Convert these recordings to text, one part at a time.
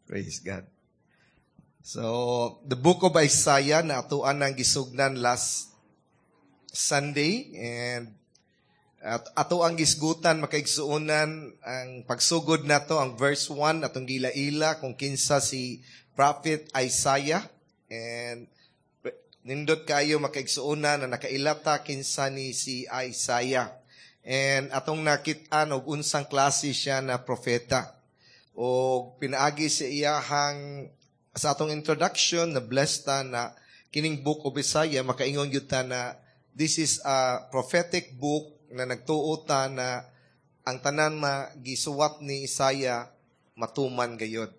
Praise God. So, the book of Isaiah na atuan ng gisugnan last Sunday and at ato ang gisgutan, makaigsuonan, ang pagsugod nato ang verse 1, atong giila-ila kung kinsa si Prophet Isaiah, and nindot kayo, makaigsuonan, na nakailata kinsa ni si Isaiah and atong nakit-an og unsang klase siya na propeta o pinaagi sa iyahang sa atong introduction na blessed ta na kining book of Isaiah, makaingon gyud ta na this is a prophetic book na nagtuo ta na ang tanan ma gisuwat ni Isaiah matuman gayod.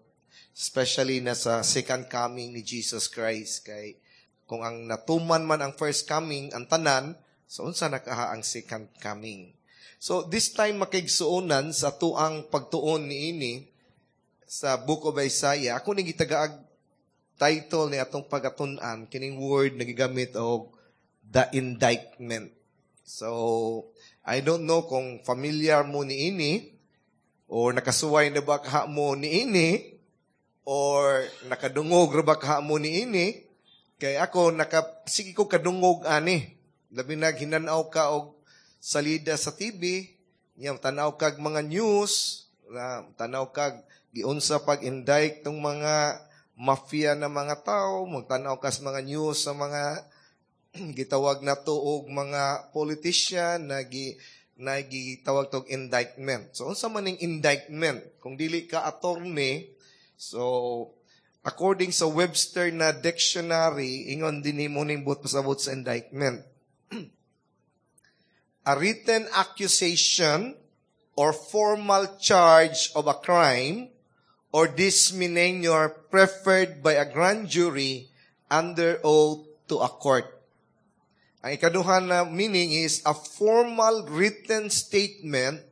Especially na sa second coming ni Jesus Christ, kay kung ang natuman man ang first coming ang tanan, so unsa na kaha ang second coming? So this time, makaigsuonan, sa tuang pagtuon niini sa book of Isaiah, ako ning gitagaag title ni atong pagatun-an kining word na gigamit og "the indictment". So, I don't know kung familiar mo ni ini or nakasuway na ba kaha mo ni ini or nakadungog ra ba kaha mo ni ini, kay ako naka sige ko kadungog ani, labi na hinanaw ka og salida sa TV nya, tanaw kag mga news na tanaw kag giunsa pag-indict tong mga mafia na mga tao, magtanaw ka sa mga news sa mga gitawag na to og mga politician na gi na gitawag tog indictment. So unsa man ning indictment? Kung dili ka attorney, so according sa Webster na dictionary, ingon din mo ning buot pasabot sa indictment. A written accusation or formal charge of a crime or misdemeanor preferred by a grand jury under oath to a court. Ang ikaduha na meaning is a formal written statement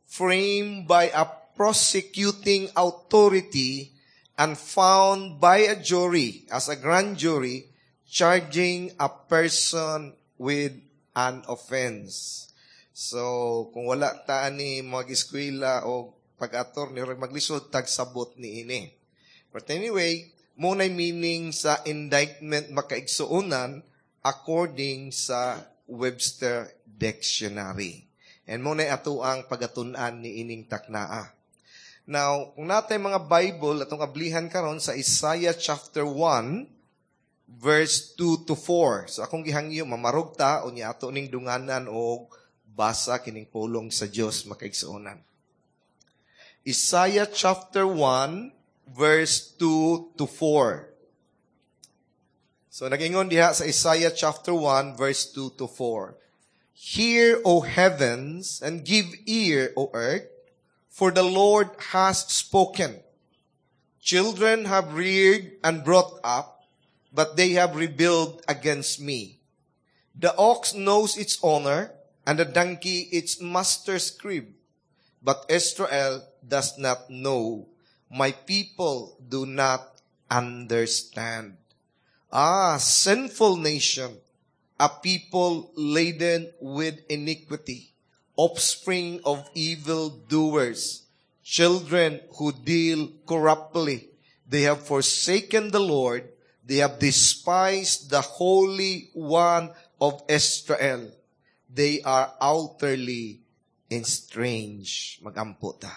framed by a prosecuting authority and found by a jury as a grand jury charging a person with an offense. So, kung wala ta ni mag-eskwela o pag-attorney, maglisod tagsabot ni ini. But anyway, mao meaning sa indictment, makaigsuonan, according sa Webster Dictionary. And mao na ato ang pagatun-an ni ining taknaa. Now, kung naa tay mga Bible, atong ablihan karon sa Isaiah chapter 1, verse 2 to 4. So akong gihangyo, mamarog ta, unya ato ning dunganan og basa kining pulong sa Dios, makaigsuonan. Isaiah chapter 1, verse 2 to 4. So nagingon diha sa Isaiah chapter 1 verse 2 to 4. "Hear, O heavens, and give ear, O earth, for the Lord has spoken. Children have reared and brought up, but they have rebelled against me. The ox knows its owner, and the donkey its master's crib. But Israel does not know. My people do not understand. Ah, sinful nation, a people laden with iniquity, offspring of evil doers, children who deal corruptly. They have forsaken the Lord. They have despised the Holy One of Israel. They are utterly estranged." Magampo ta.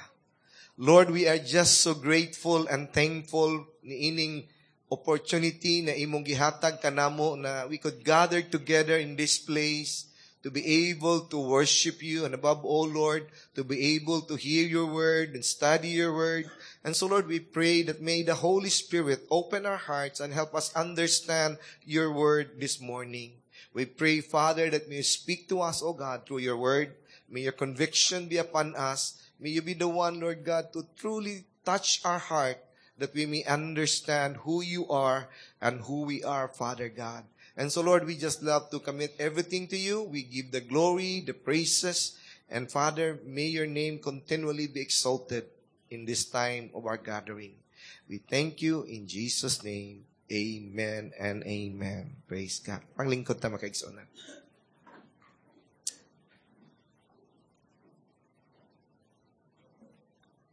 Lord, we are just so grateful and thankful ni ining opportunity na imong gihatag kanamo na we could gather together in this place to be able to worship you and, above all, Lord, to be able to hear your word and study your word. And so, Lord, we pray that may the Holy Spirit open our hearts and help us understand your word this morning. We pray, Father, that may you speak to us, O God, through your word. May your conviction be upon us. May you be the one, Lord God, to truly touch our heart that we may understand who you are and who we are, Father God. And so, Lord, we just love to commit everything to you. We give the glory, the praises, and Father, may your name continually be exalted in this time of our gathering. We thank you in Jesus' name. Amen and amen. Praise God. Panglingkod ta, makaigsuonan.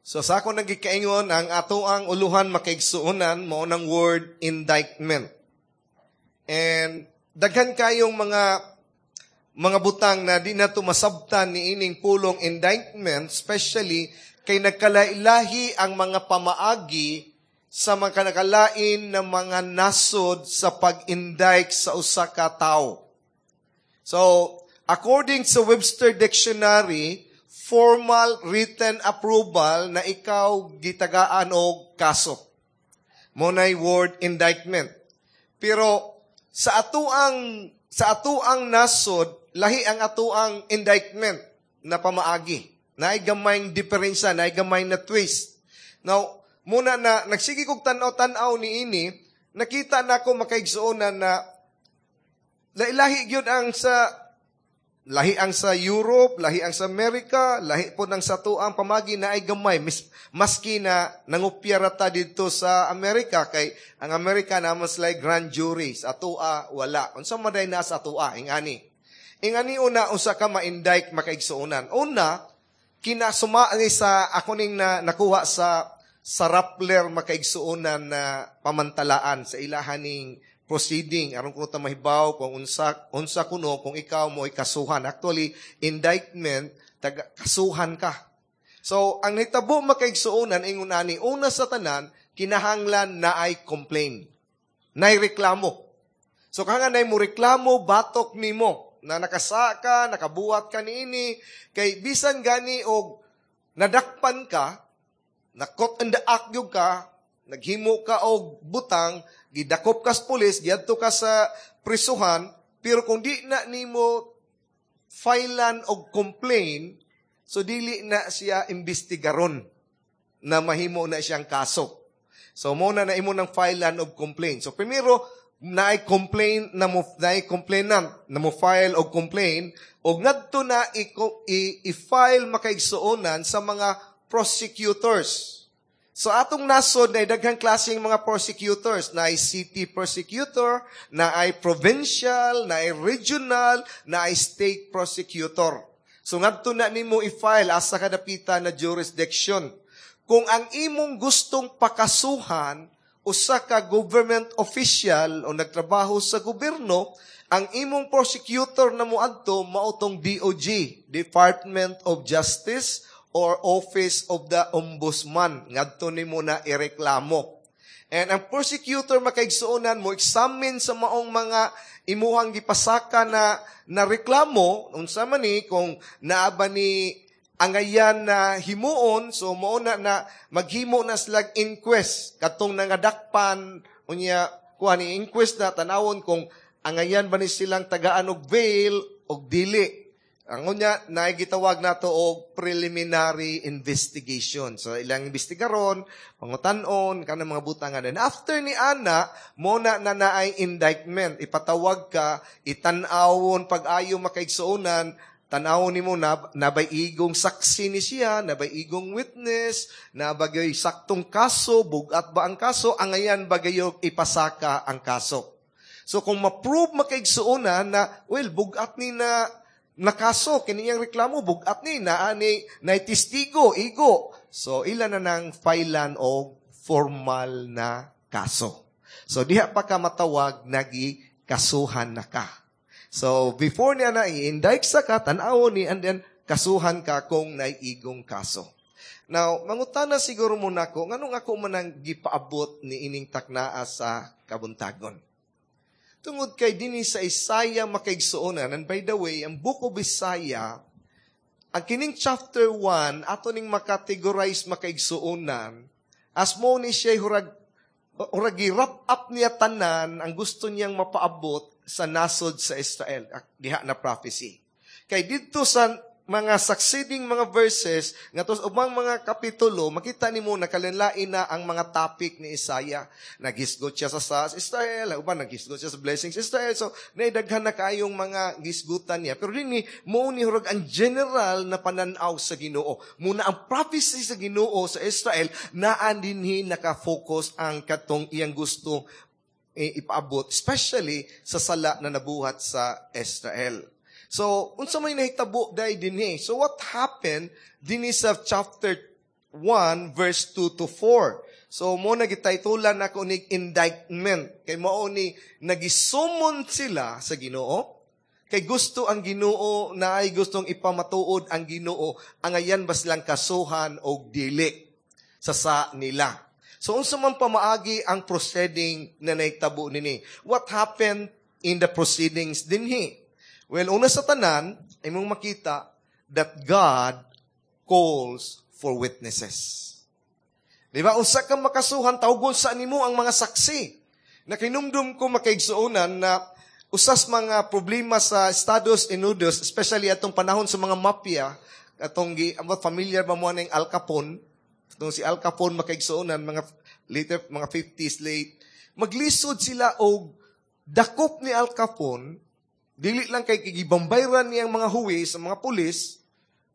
So sa ako nagikaingon, ang ato ang uluhan, makaigsuonan, mao nang word "indictment." And daghan kayong mga butang na di nato masabtan ni ining pulong "indictment," especially kay nagkalailahi ang mga pamaagi sa mga nakalain na mga nasod sa pag-indict sa usa ka tawo. So, according sa Webster Dictionary, formal written approval na ikaw gitagaan og kaso. Mao nay word "indictment." Pero sa atoang nasod, lahi ang atoang indictment na pamaagi. Naay gamayng diferensya, naay gamay na twist. Now, muna na nagsige kog tan-aw-tan-aw ni ini, nakita nako, makaigsuonan, na lailahi gyud ang sa lahi ang sa Europe, lahi ang sa Amerika, lahi po ng sa atoang pamagi na ay gamay. Maski na nangupya ta dito sa Amerika, kay ang Amerika naman sila grand jury, sa atoa wala. Unsa man na sa atoa, ingani? Ingani una, unsa ka ma-indict, makaigsuonan? Una, kinasuma ni sa ako ning na, nakuha sa Rappler, makaigsuonan, na pamantalaan sa ilahaning proceeding aron kuno ta mahibaw kung unsa unsa kuno kung ikaw mo kasuhan. Actually, indictment, taga kasuhan ka. So ang nahitabo, makaigsuonan, ingon ani: una sa tanan, kinahanglan na ay complain, nay reklamo. So kanga nay mo reklamo batok nimo na nakasa ka, nakabuhat ka niini, kay bisan gani og nadakpan ka, na caught in the act gyud ka, naghimo ka og butang, gidakop ka sa pulis, giadto ka sa prisuhan, pero kung di na nimo filean og complain, so dili na siya imbestigaron na mahimo na siyang kaso. So mo na na imo nang filean og complaint. So primero, naay complaint na mo, naay complainant na mo file og complaint, og ngadto na i-file, makaigsuonan, sa mga prosecutors. So atong nasod na daghang klaseng mga prosecutors, na ay city prosecutor, na ay provincial, na ay regional, na ay state prosecutor. So ngadto na nimo i-file asa kadapita na jurisdiction. Kung ang imong gustong pakasuhan usa ka government official o nagtrabaho sa gobyerno, ang imong prosecutor na moadto mao tong DOJ, Department of Justice or Office of the Ombudsman. Ngadto nimo na ireklamo. And ang prosecutor, makaigsuonan, mo examine sa maong mga imuhang gipasaka na reklamo, unsa man ni, kung naa ba ni angayan na himuon. So mao na na maghimo na sila inquest katong nangadakpan. Unya kuha ni inquest na tanawon kung angayan ba ni silang tagaan og bail og dili. Ang unya, naigitawag nato og preliminary investigation. So ilang investigaron, pangutan-on, kanang mga butangan. And after ni ana, mo na na naay indictment. Ipatawag ka, itan-awon pag-ayo, makaigsuonan, tan-awon nimo na nabay igong saksi ni siya, nabay igong witness, nabagay saktong kaso, bugat ba ang kaso, angayan bagayo ipasaka ang kaso. So kung ma-prove, makaigsuonan, na well, bugat ni na nakaso, kiniyang reklamo, bugat ni, naa ni, na testigo, igo. So, ila na nang filean og formal na kaso. So, diha pa ka matawag, nagi kasuhan na ka. So, before niya na i-indict sa ka, tan-awon ni, and then, kasuhan ka kung naiigong kaso. Now, mangutana siguro mo nako, nganong ako man ang gipaabot ni ining taknaa sa kabuntagon? Tungod kay dinhi sa Isaiah, makaigsuonan, and by the way, ang Book of Isaiah, ang kining chapter 1, ato ning makategorize, makaigsuonan, as mo ni siya hurag wrap up niya tanan ang gusto niyang mapaabot sa nasod sa Israel, diha na prophecy. Kay didto sa mga succeeding mga verses, nga sa ubang mga kapitulo, makita nimo nakalinlain na ang mga topic ni Isaiah. Naghisgot siya sa Israel, uban naghisgot siya sa blessings Israel. So, naidaghan na kayong mga gisgutan niya. Pero dinhi, mo ni hurag ang general na pananaw sa Ginoo. Muna ang prophecy sa Ginoo sa Israel, naan dinhi naka-focus ang katong iyang gusto ipaabot, especially sa sala na nabuhat sa Israel. So, unsa may nahitabo dai dinhi? So, what happened dinhi sa chapter 1 verse 2 to 4. So mo na gitaytolan nako ni indictment kay mao ni nagisummon sila sa Ginoo kay gusto ang Ginoo na ay gustong ipamatuod ang Ginoo angayan ba silang kasuhan og dili sa nila. So unsa man pamaagi ang proceeding na nahitabo nini? What happened in the proceedings dinhi? Well, una sa tanan, imong makita that God calls for witnesses. Di ba? Usa ka makasuhan, tawgon sa nimo ang mga saksi. Nakinumdum ko, makaigsuonan, na usas mga problema sa Estados Unidos, especially atong panahon sa mga mafia, atong familiar ba mo ning Al Capone? Atong si Al Capone, makaigsuonan, mga later, mga 50s late, maglisod sila og dakop ni Al Capone, dili lang kay gibambayran niyang mga huwis sa mga pulis,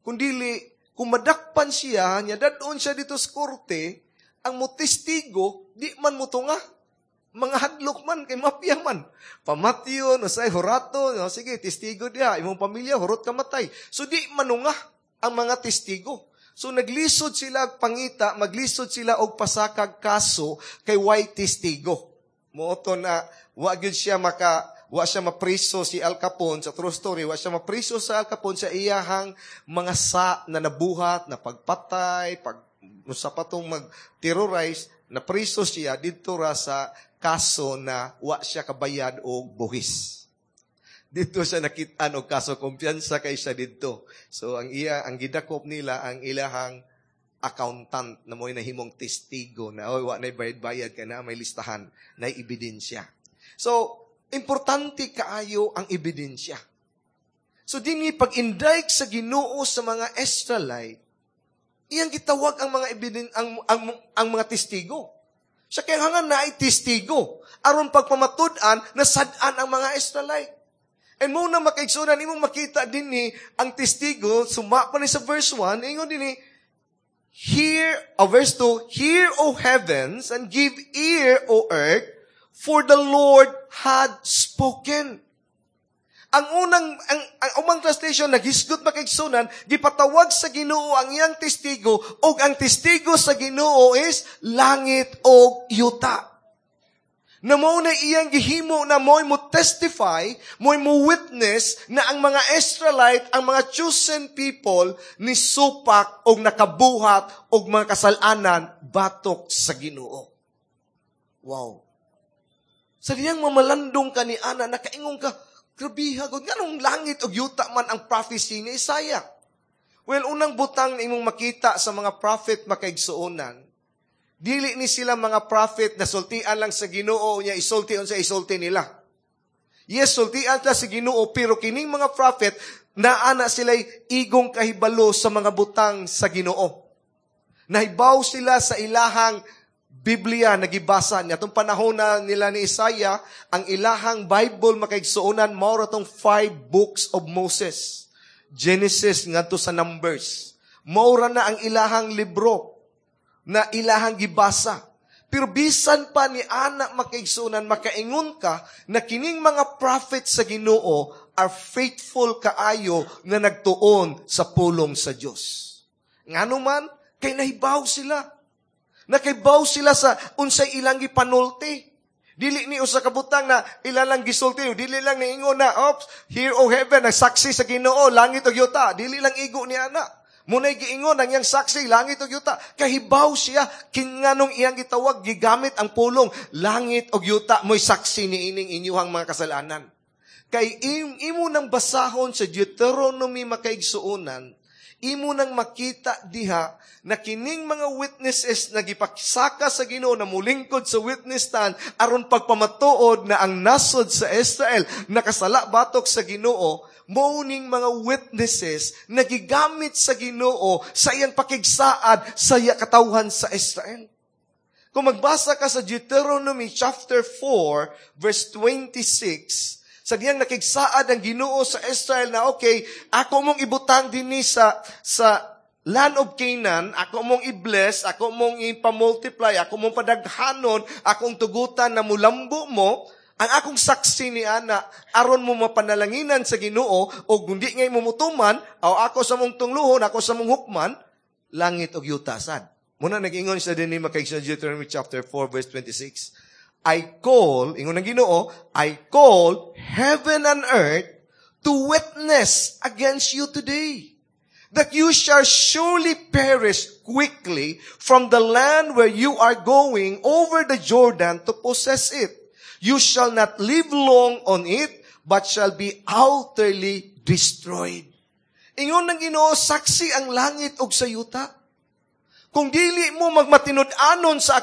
kundili kung madakpan siya, niya dadon siya dito sa korte, ang motestigo, di man motunga. Mga hadlok man, kay mafia man. Pamatyon, usay hurato, no, sige, testigo diha, imong pamilya, hurot ka matay. So di manunga ang mga testigo. So naglisod sila pangita, maglisod sila og pasakag kaso kay way testigo. Mao to na wa gyud siya maka wa siya mapriso si Al Capone sa true story, wa siya mapriso sa Al Capone sa iyahang mga sa na nabuhat, na pagpatay, pag sa patong mag-terrorize, napriso siya didto ra sa kaso na wa siya kabayad og buhis. Dito siya nakit-an og kaso, kumpiyansa kay siya didto. So ang iya ang gidakop nila ang ilahang accountant na mo'y nahimong testigo na oy, wa nay bayad-bayad kay na may listahan, na ebidensya. So importante kaayo ang ebidensya. So dinhi pag-indict sa Ginoo sa mga Israelite, iyang gitawag ang mga ebiden ang mga testigo. Sa kailangan na ay testigo aron pagpamatud-an na sad-an ang mga Israelite. And mo na, makaigsunan, imong makita dinhi ang testigo, suma pa ni sa verse 1, ingon dinhi, "Hear," verse 2, "Hear, O heavens, and give ear, O earth, for the Lord had spoken." Ang unang, ang umang translation, naghisgot, makaigsunan, gipatawag sa Ginoo ang iyang testigo, og ang testigo sa Ginoo is langit og yuta. Na mao na iyang gihimo na mo'y mo testify, mo'y mo witness na ang mga Israelite, ang mga chosen people, ni supak og nakabuhat og mga kasalanan batok sa Ginoo. Wow. Sa diyang mamalandong ka ni ana, nakaingon ka, grabiha, gud, nganong langit og yuta man ang prophecy ni Isaiah? Well, unang butang na imong makita sa mga prophet, makaigsuonan, dili ni sila mga prophet na sultian lang sa Ginoo niya isulti unsa isulti nila. Yes, sultian ta sa Ginoo, pero kining mga prophet naa na sila'y igong kahibalo sa mga butang sa Ginoo. Nahibaw sila sa ilahang Biblia nagibasa niya. Itong panahon na nila ni Isaiah, ang ilahang Bible, makaigsuonan, mao ra tong five books of Moses. Genesis ngadto sa Numbers. Mao ra na ang ilahang libro na ilahang gibasa. Pero bisan pa ni ana, makaigsuonan, makaingon ka na kining mga prophet sa Ginoo are faithful kaayo na nagtuon sa pulong sa Dios. Ngano man, kay nahibaw sila. Nakahibaw sila sa unsay ilang gipanulti. Dili ni usa ka butang na ila lang gisulti, dili lang niingon na, "Ops, hear O heaven, nagsaksi sa Ginoo, langit ug yuta." Dili lang igo ni ana. Munay giingon ang iyang saksi, langit ug yuta. Kahibaw siya kinganong iyang gitawag, gigamit ang pulong, langit ug yuta mo'y saksi ni ining inyuhang mga kasalanan. Kay imo nang basahon sa Deuteronomy, makaigsuonan, imo nang makita diha na kining mga witnesses na gipaksaka sa Ginoo na mulingkod sa witness stand aron pagpamatuod na ang nasod sa Israel nakasala batok sa Ginoo, mao ning mga witnesses na gigamit sa Ginoo sa iyang pakigsaad sa iya katawhan sa Israel. Kung magbasa ka sa Deuteronomy chapter 4 verse 26, sa diyang nakigsaad ang Ginoo sa Israel na okay, ako mong ibutang dinhi sa land of Canaan, ako mong i-bless, ako mong ipamultiply, ako mong padaghanon, akong tugutan na mulambo mo, ang akong saksi ni ana, aron mo mapanalanginan sa Ginoo, o kundi ngay mumutuman, o ako sa mong tungluhon, ako sa mong hukman, Langit ug yuta sad. Mao na nag-ingon siya dinhi, mga sa Deuteronomy chapter 4 verse 26. "I call," ingon ng Ginoo, "I call heaven and earth to witness against you today, that you shall surely perish quickly from the land where you are going over the Jordan to possess it. You shall not live long on it, but shall be utterly destroyed." Ingon ng Ginoo, saksi ang langit ug sa yuta. Kung dili mo magmatinud-anon sa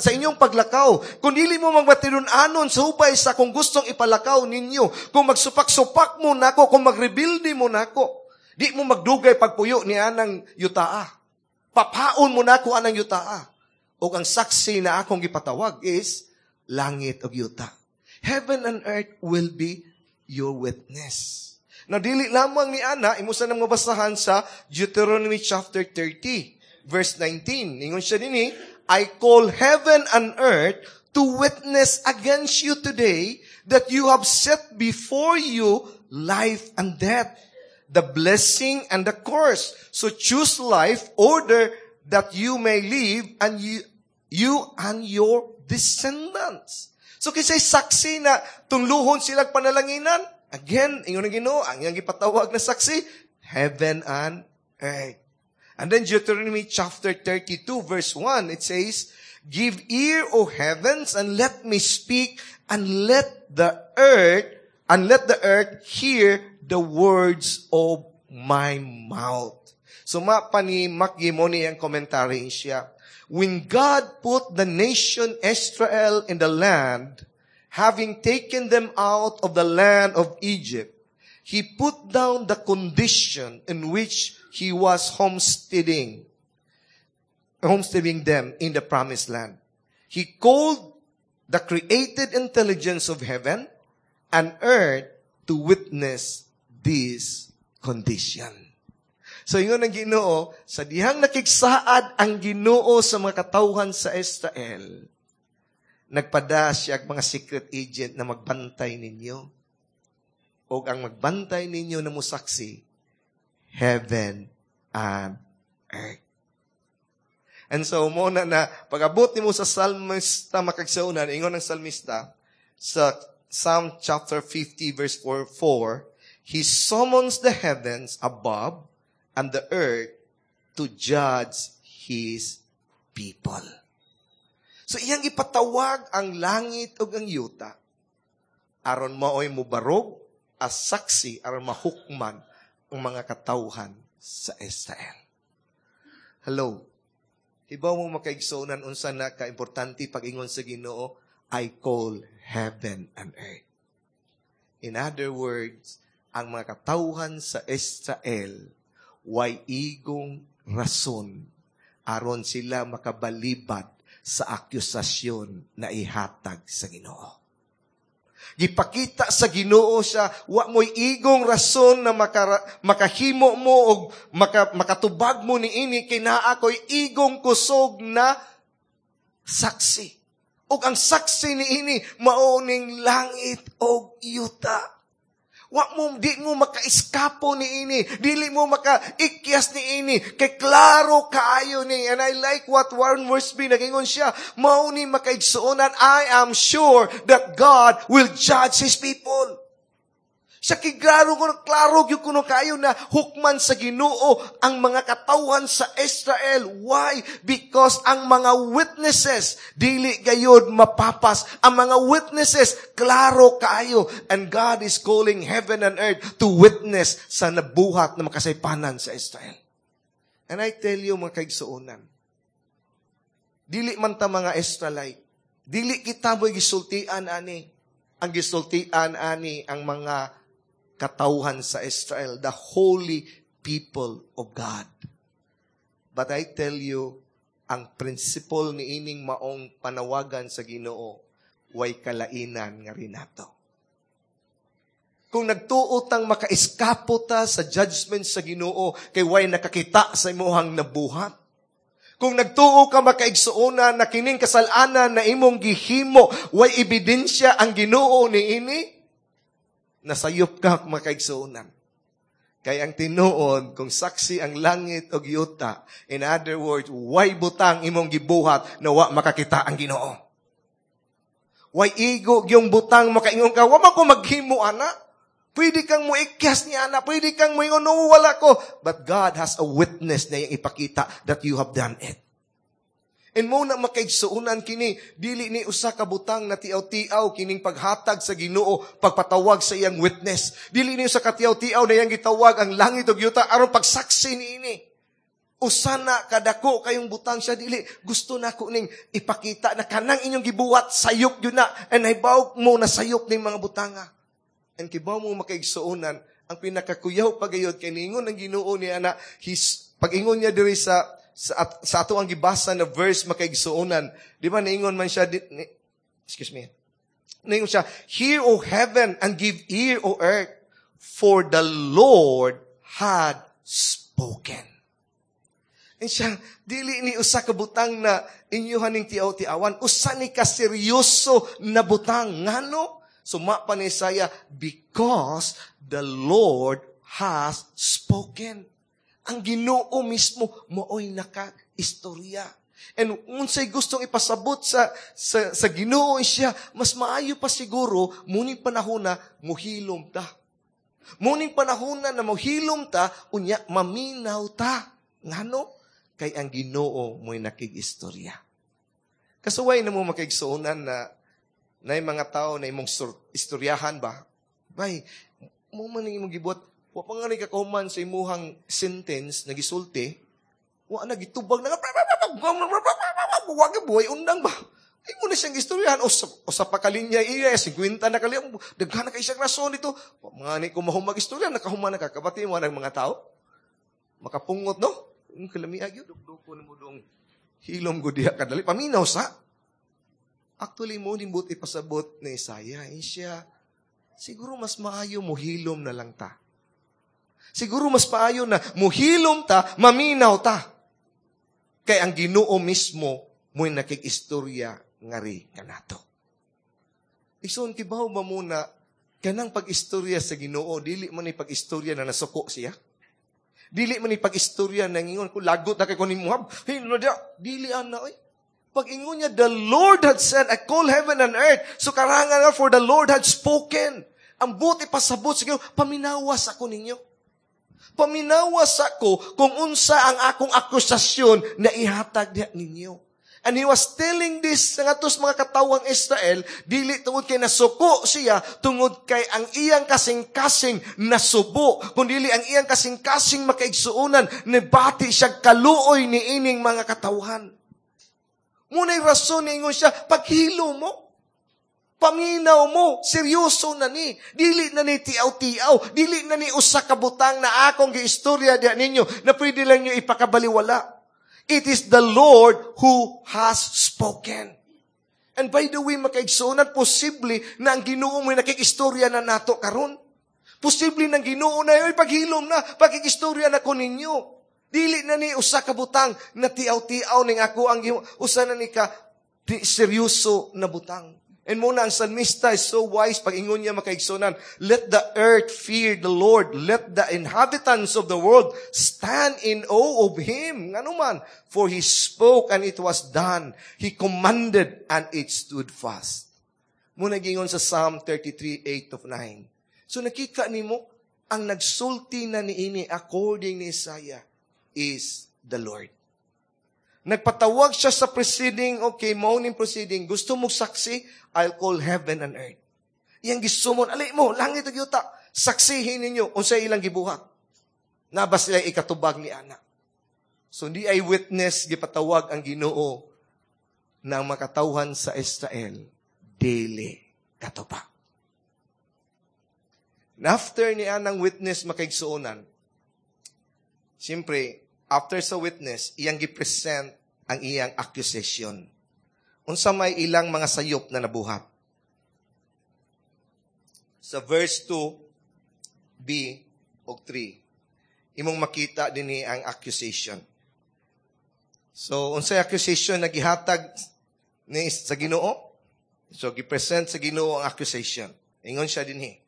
inyong paglakaw, kung dili mo magmatinud-anon sa hubay sa kung gustong ipalakaw ninyo, kung magsupak-supak mo nako, kung magrebilde mo nako, di mo magdugay pagpuyo ni anang yutaa. Papaon mo nako anang yutaa. Ug ang saksi na akong gipatawag is langit ug yuta. Heaven and earth will be your witness. Now, dili lamang ni ana, imo sa nang mabasahan sa Deuteronomy chapter 30, verse 19. Ingon siya dinhi, "I call heaven and earth to witness against you today that you have set before you life and death, the blessing and the curse. So choose life, order that you may live and you and your descendants." So kinsay saksi na tunluhon sila panalanginan? Again, ingon ng Ginoo, ang iyang gipatawag na saksi, heaven and earth. And then Deuteronomy chapter 32 verse 1, it says, "Give ear, O heavens, and let me speak, and let the earth hear the words of my mouth." So mao pa ni Makgimoni ang komentary siya. When God put the nation Israel in the land, having taken them out of the land of Egypt, He put down the condition in which He was homesteading them in the promised land. He called the created intelligence of heaven and earth to witness this condition. So ingon ng Ginoo, sa dihang nakigsaad ang Ginoo sa mga katawhan sa Israel, nagpada siya ang mga secret agent na magbantay ninyo. O ang magbantay ninyo na musaksi, heaven and earth. And so, mao na pag-abot nimo sa salmista, makaigsuonan, ingon ng salmista, sa Psalm chapter 50 verse 4, 4, "He summons the heavens above and the earth to judge His people." So iyang ipatawag ang langit ug ang yuta aron maoy mubarog as saksi aron mahukman ang mga katawhan sa Israel. Hello. Hibaw mo, makaigsuonan, unsa na ka-importante pag-ingon sa Ginoo, "I call heaven and earth." In other words, ang mga katawhan sa Israel way igong rason aron sila makabalibad sa akusasyon na ihatag sa Ginoo. Gipakita sa Ginoo siya, wa mo'y igong rason na makahimo mo o makatubag mo ni ini kay naa ko'y igong kusog na saksi. Ug ang saksi ni ini mao ning langit og yuta. Wa mo, di mo makaiskapo ni ini. Dili mo makaikyas ni ini. Kay klaro kaayo ni. And I like what Warren Wiersbe nagingon siya. Mao ni, makaigsuonan, I am sure that God will judge His people. Sa kiglaro ko, klaro gyud kuno kayo na hukman sa Ginoo ang mga katawhan sa Israel. Why? Because ang mga witnesses dili gayod mapapas. Ang mga witnesses klaro kaayo, and God is calling heaven and earth to witness sa nabuhat na makasaypanan sa Israel. And I tell you, mga kaigsuonan, dili man ta mga Israelite, dili kita mo'y gisultian ani. Ang gisultian ani ang mga katawhan sa Israel, the holy people of God. But I tell you, ang principle ni ining maong panawagan sa Ginoo, way kalainan nga rinato. Kung nagtuo tang makaiskapo ta sa judgment sa Ginoo kay way nakakita sa imuhang nabuhat, kung nagtuo ka, makaigsuonan, na kining kasalanan na imong gihimo, way ebidensya ang Ginoo ni ini, nasayop ka, makaigsuonan. Kay ang tinuod, kung saksi ang langit o yuta, in other words, way butang imong gibuhat na wa makakita ang Ginoo. Way igo yung butang makaingon ka, wa man ko maghimo ana. Pwede kang muikyas ni ana, pwede kang muingon, "No, wala ko." But God has a witness na iyang ipakita that you have done it. And mao na, makaigsuunan, kini dili ni usa ka butang na tiaw-tiaw kining paghatag sa Ginoo, pagpatawag sa iyang witness. Dili ni usa ka tiaw-tiaw na iyang gitawag ang langit ug yuta aron pagsaksi niini. Usa na kadako kayong butang siya, dili gusto nako ning ipakita na kanang inyong gibuhat, sayop gyud na, and nahibaw mo na sayop ning mga butanga. And kibaw mo, makaigsuonan, ang pinakakuyaw pagayod kay niingon ang Ginoo ni ana his pag-ingon niya diri sa ato ang gibasa na verse, makaigsuonan. Di ba niingon man siya di, ni, excuse me. Niingon siya, "Hear, O heaven, and give ear, O earth, for the Lord had spoken." And siya, dili ni usa ka butang na inyuhan ning tiaw-tiawan, usa ni ka seryoso na butang. Ngano? Suma pa ni Isaiah, because the Lord has spoken. Ang Ginoo mismo maoy naka-istorya. And unsay gustong ipasabot sa Ginoo siya, mas maayo pa siguro muning panahon na muhilom ta. Muning panahon na muhilom ta, unya maminaw ta. Ngano? Kay ang Ginoo mo'y nakig-istorya. Kasuway na mo, makaigsuonan, na nay mga tao na imong istoryahan ba? Bay, mao man imong gibuhat, wa pa nga ni kakahuman sa imuhang sentence na gisulti, wa na gitubag na, wa buhay undang ba? Ay mo na siyang istoryahan. O sa pakalinya iya, 50 na kali, daghan na kay siyang rason dito. Mga ni ko mahumag istorya, nakahuman na ka, kabati mo ng mga tao. Makapungot, no? Yung kalamiag yun, dukdukon mo dong hilom ko diha kadali. Paminaw sa. Actually, mao ning buot ipasabot ni Isaiah. Eh siya, siguro mas maayo muhilom na lang ta. Siguro mas maayo na muhilom ta, maminaw ta. Kay ang Ginoo mismo mo'y nakig-istorya ngari kanato. Igsoon, kibaw ba muna, kanang pag-istorya sa Ginoo, dili man ni pag-istorya na nasuko siya? Dili man ni pag-istorya na ngingon ko, "Lagot na kay ko ni Muhab. Hey, no, dili ana oy." Pag ingon niya, "The Lord had said, I call heaven and earth." So karangan nga, for the Lord had spoken. Ang buot ipasabot sa Ginoo, paminawas ako ninyo. Paminawas ako kung unsa ang akong akusasyon na ihatag diha ninyo. And he was telling this sa ngatos mga katawang Israel, dili tungod kay nasuko siya, tungod kay ang iyang kasing-kasing nasubo, kundi ang iyang kasing-kasing, makaigsuonan, nibati siya kaluoy ni ining mga katawhan. Muna'y rason ningon siya, "Paghilo mo, paminaw mo, seryoso na ni. Dili na ni tiaw-tiaw, dili na ni usa ka butang na akong giistorya diha ninyo na pwede lang nyo ipakabaliwala." It is the Lord who has spoken. And by the way, makaigsuonan, posible na ang Ginoo mo nakikistorya na nato karon. Posible ng Ginoo na, "Ay, paghilom na, pagkikistorya na ko ninyo. Dili na ni usa ka butang na tiaw-tiaw ning ako ang usa na ni ka di, seryoso na butang." And mao na ang salmista is so wise pag ingon niya, makaigsunan, "Let the earth fear the Lord. Let the inhabitants of the world stand in awe of Him." Ngano man? "For He spoke and it was done. He commanded and it stood fast." Mao na gingon sa Psalm 33, 8 of 9. So nakita nimo, ang nagsulti na niini according ni Isaiah is the Lord. Nagpatawag siya sa proceeding, okay, mao ning proceeding, gusto mo saksi, I'll call heaven and earth. Iyang gisummon, "Ali mo, langit ug yuta, saksihin ninyo unsay ilang gibuhat. Naa ba sila ikatubag ni ana?" So hindi ay witness gipatawag ang Ginoo ng makatawhan sa Israel, dili katubag. And after ni anang witness, makaigsuonan, siyempre, after sa witness, iyang gipresent ang iyang accusation. Unsa may ilang mga sayop na nabuhat? Sa verse 2, B o 3, imong makita dinhi ang accusation. So, unsay accusation na gihatag ni sa Ginoo? So, gipresent sa Ginoo ang accusation. Ingon siya dinhi,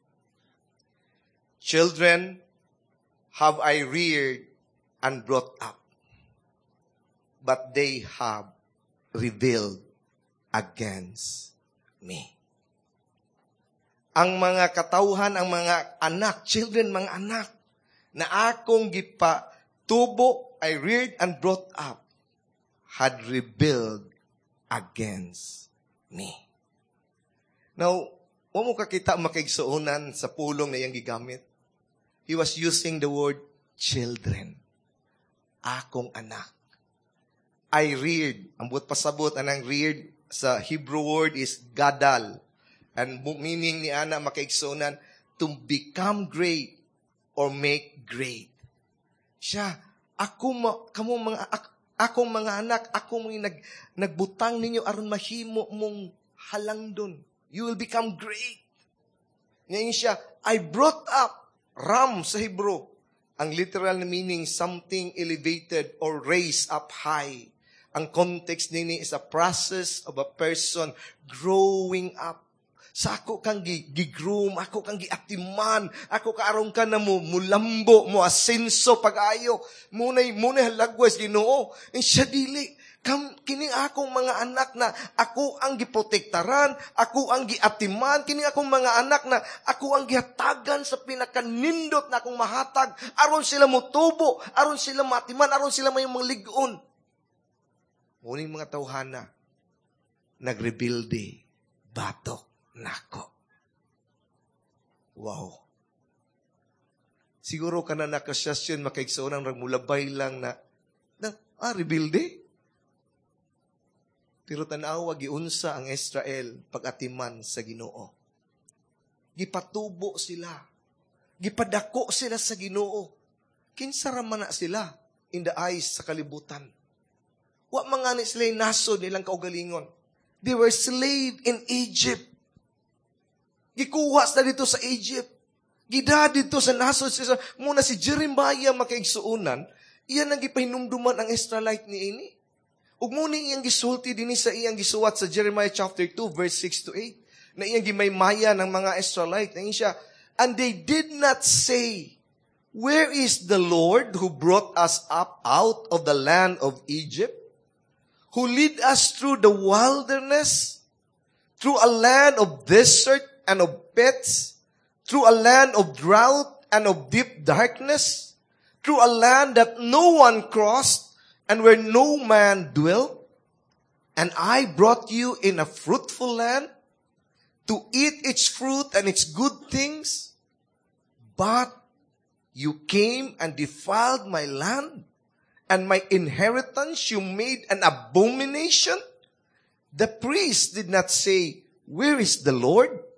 "Children have I reared and brought up, but they have rebelled against me. Ang mga katawhan, ang mga anak, children, mga anak, na akong gipatubo, I reared and brought up, had rebelled against me. Now, wa mo kakita, makaigsuonan, sa pulong na iyang gigamit. He was using the word "children." Akong anak. I reared. Ang buot pasabot anang "reared" sa Hebrew word is "gadal." And meaning ni ana, makaigsuonan, to become great or make great. Siya, ako ma, kamo mga akong mga anak, ako mga nagbutang ninyo aron mahimo mong halangdon. You will become great. Ngayon siya, I brought up, "ram" sa Hebrew. Ang literal na meaning, something elevated or raised up high. Ang context nini is a process of a person growing up. Sa ako kang gi-groom, ako kang giatiman, ako karon ka na mo, mulambo, mo asenso pag-ayo, munay halagwas Ginoo. Eh, siya dili. Kining akong mga anak na ako ang giprotektaran, ako ang giatiman, kining akong mga anak na ako ang gihatagan sa pinakanindot na akong mahatag, aron sila motubo, aron sila matiman, aron sila may mga lig-on. Muning mga tawhana, nagrebilde, batok nako. Wow. Siguro ka na nakasasyon, makaigsoon ang mulabay lang na rebilde. Pero tanawa giunsa ang Israel pag-atiman sa Ginoo. Gipatubo sila. Gipadako sila sa Ginoo. Kinsa ra man na sila in the eyes sa kalibutan? Wa man ni sila nasod nilang kaugalingon. They were slave in Egypt. Gikuha sila dito sa Egypt. Gida dito sa nasod sila. Muna si Jeremiah, makaigsuonan, iyan ang gipahinumduman ang Israelite ni ini. Ug mo ni iyang gisulti dinhi sa iyang gisuwat sa Jeremiah chapter 2 verse 6 to 8 na iyang gimaymaya ng mga Israelite. Na siya, "And they did not say, 'Where is the Lord who brought us up out of the land of Egypt, who lead us through the wilderness, through a land of desert and of pits, through a land of drought and of deep darkness, through a land that no one crossed and where no man dwelt? And I brought you in a fruitful land to eat its fruit and its good things. But you came and defiled my land, and my inheritance you made an abomination. The priests did not say, 'Where is the Lord?'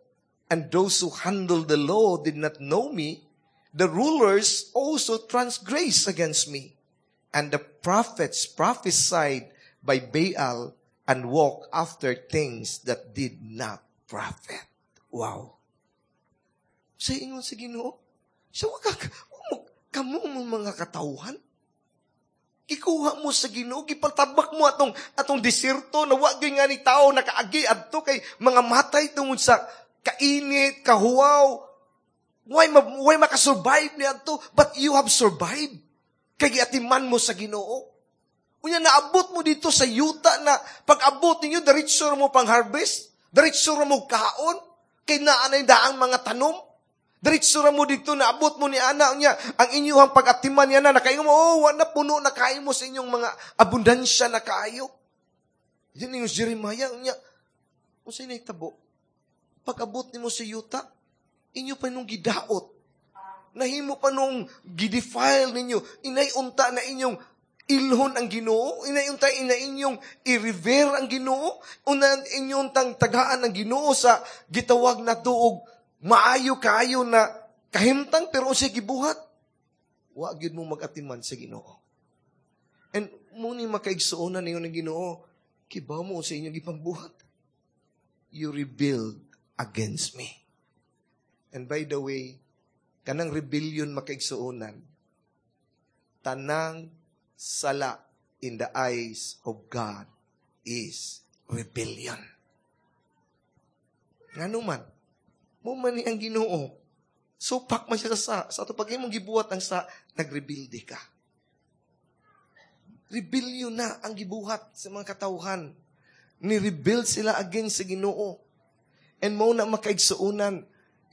And those who handle the law did not know me. The rulers also transgressed against me. And the prophets prophesied by Baal and walked after things that did not profit." Wow. Sa ingon sa Ginoo, siya wag ka, mo, kamo mo mga katawhan. Gikuha mo sa Ginoo, gipatabak mo atong diserto na wa gyud nga ni tao nakaagi adto kay mga matay tungod sa kainit, kahuwaw. Why makasurvive ni adto? But you have survived. Kay giatiman mo sa Ginoo. Unya naabot mo dito sa yuta na pag-abot ninyo, diretso mo pang harvest, diretso mo kaon, kay naa nay daang mga tanom. Diretso mo dito, naabot mo ni ana niya, ang inyong pag-atiman niya na, nakaingon mo, oh, wala puno na kain mo sa inyong mga abundansya na kaayo. Yan yung Jeremiah, niya, kung sa'yo nahitabo, pag-abot nimo sa yuta, inyo pa nung gidaot, nahimo pa nung gidefile ninyo, inay unta na inyong ilhon ang Ginoo, inay unta ina inyong i-revere ang Ginoo, una inyong tang tagaan ang Ginoo sa gitawag na tuog maayo kaayo na kahimtang, pero unsay gibuhat? Wa gyud mo mag-atiman sa Ginoo. And muni, makaigsuonan ninyo ng Ginoo, kibaw mo sa inyong gipangbuhat. You rebelled against me. And by the way, kanang rebellion, makaigsuonan, tanang sala in the eyes of God is rebellion. Ngano man, mo man ni ang Ginoo. Supak man siya sa sa. Sa ato pag imong gibuhat ang sa, nagrebelde ka. Rebellion na ang gibuhat sa mga katawhan. Ni-rebel sila against sa Ginoo. And mao na, makaigsuonan,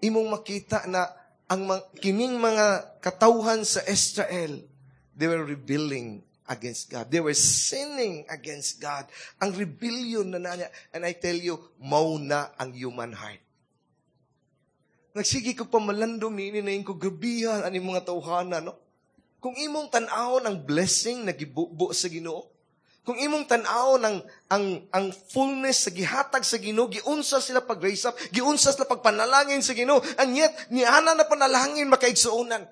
imong makita na ang kining mga katawhan sa Israel, they were rebelling against God. They were sinning against God. Ang rebellion na niya. And I tell you, mao na ang human heart. Nagsige ko pamalandong ni ini ko, grabihan ani mga tawhana, no? Kung imong tan-awon ang blessing na gibubo sa Ginoo, kung imong tan-awon ang fullness sa gihatag sa Ginoo, giunsa sila pag raise up, giunsa sila pagpanalangin sa Ginoo, and yet niana na panalangin, makaigsuonan,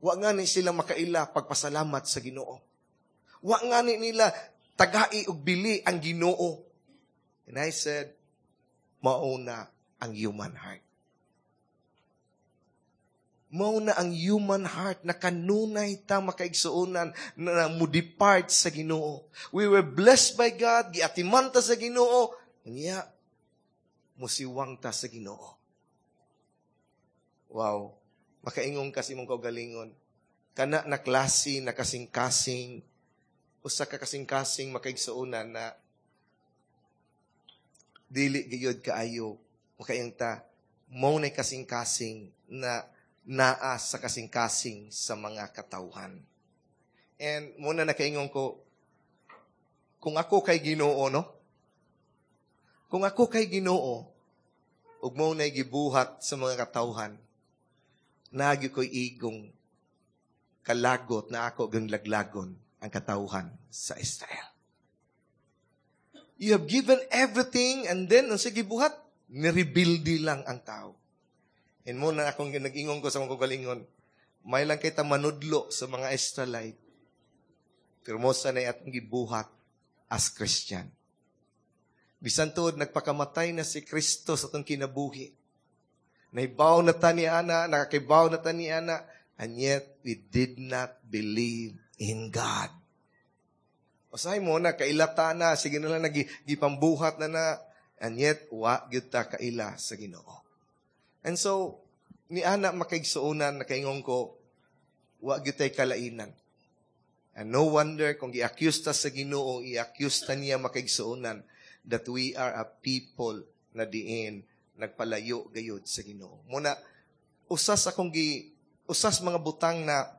wa nga ni sila makaila pagpasalamat sa Ginoo. Wa nga ni nila tagai og bili ang Ginoo. And I said, mao na ang human heart. Mao na ang human heart na kanunay ta, makaigsuonan, na mo depart sa Ginoo. We were blessed by God, giatiman ta sa Ginoo, niya musiwang ta sa Ginoo. Wow. Makaingon kasi mong kaugalingon. Kana na klase na kasing-kasing, usa ka kasing-kasing, makaigsuonan, na dili gayud kaayo makaingon ta, mao na kasing-kasing na naa sa kasing-kasing sa mga katawhan. And mao na nakaingon ko, kung ako kay Ginoo, no? Kung ako kay Ginoo, ug mao na gibuhat sa mga katawhan, nagi ko'y igong kalagot na ako gang laglagon ang katawhan sa Israel. You have given everything and then, ang sige buhat, nirebuild lang ang tao. And mao na akong nag-ingon ko sa mga kagalingon, may lang kita manudlo sa mga Israelite, pero mao sa na atong gibuhat as Christian. Bisan tuod nagpakamatay na si Kristo sa atong kinabuhi, nahibaw na ta ni ana, nakakibaw na ta ni ana, and yet we did not believe in God. Usahay mo na, kailata na, sige na lang, gipambuhat na na, and yet, wa gyud ta kaila sa Ginoo. And so, ni ana, makaigsuonan, nakaingon ko, wa gyud tay kalainan. And no wonder kung gi-accuse ta sa Ginoo, i-accuse ta niya, makaigsuonan, that we are a people na diin nagpalayo gayud sa Ginoo. Mao na usas mga butang na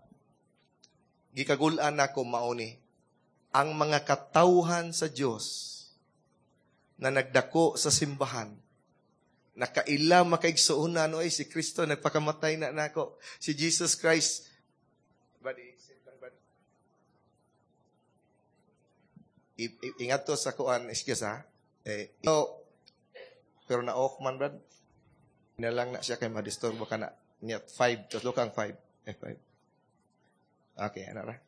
gikagul-an nako mao ni ang mga katawhan sa Dios na nagdako sa simbahan, nakaila, makaigsuonan, oy, si Kristo nagpakamatay na nako, si Jesus Christ. Buddy, sit lang, buddy. Ingat to sa kuan, excuse ha. Eh, so, pero na off man, brad. Na lang na siya kay madisturbo ka na. Niya 5, tapos kang 5. Eh, 5. Okay, ano ra?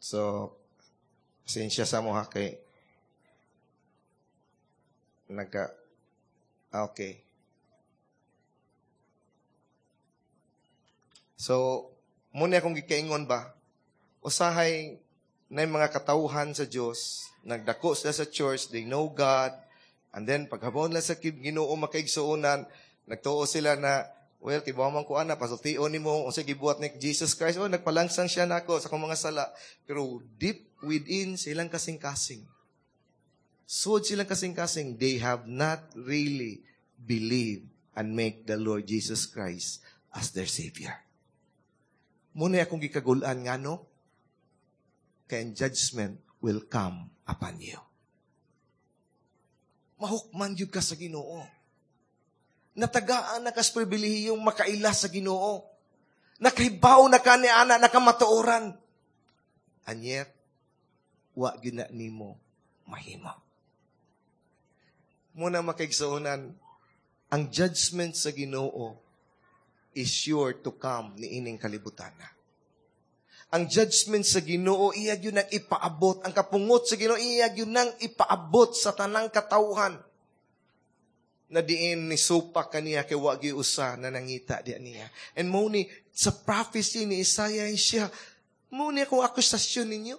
So, pasensya sa mo ha kay nagka okay. So, muna akong gikaingon ba, usahay na yung mga katauhan sa Diyos, nagdako sila sa church, they know God, and then paghabon lang sa Ginoo, makaigsuonan, nagtuo sila na, well, kibaw man ko ana, pasultion nimo unsa gibuhat ni Jesus Christ, oh, nagpalangsang siya nako sa akong mga sala. Pero deep within silang kasing-kasing, sud silang kasing-kasing, they have not really believed and make the Lord Jesus Christ as their Savior. Muna akong gikagulan nga, no? Kaya judgment will come upon you. Mahukman yun ka sa Ginoo. Natagaan na kas pribilehiyong makaila sa Ginoo. Nakahibaw na ka ni ana, nakamatuoran. And yet, wa gyud na nimo mahimo. Muna, makaigsuonan, ang judgment sa Ginoo is sure to come ni ining kalibutan na. Ang judgment sa Ginoo iya gyud nang ipaabot, ang kapungot sa Ginoo iya gyud nang ipaabot sa tanang katawhan. Na diin ni supak kaniya kay wa gyud usa na nangita diya niya. And mao ni sa prophecy ni Isaiah siya, mao ni akong akusasyon ninyo.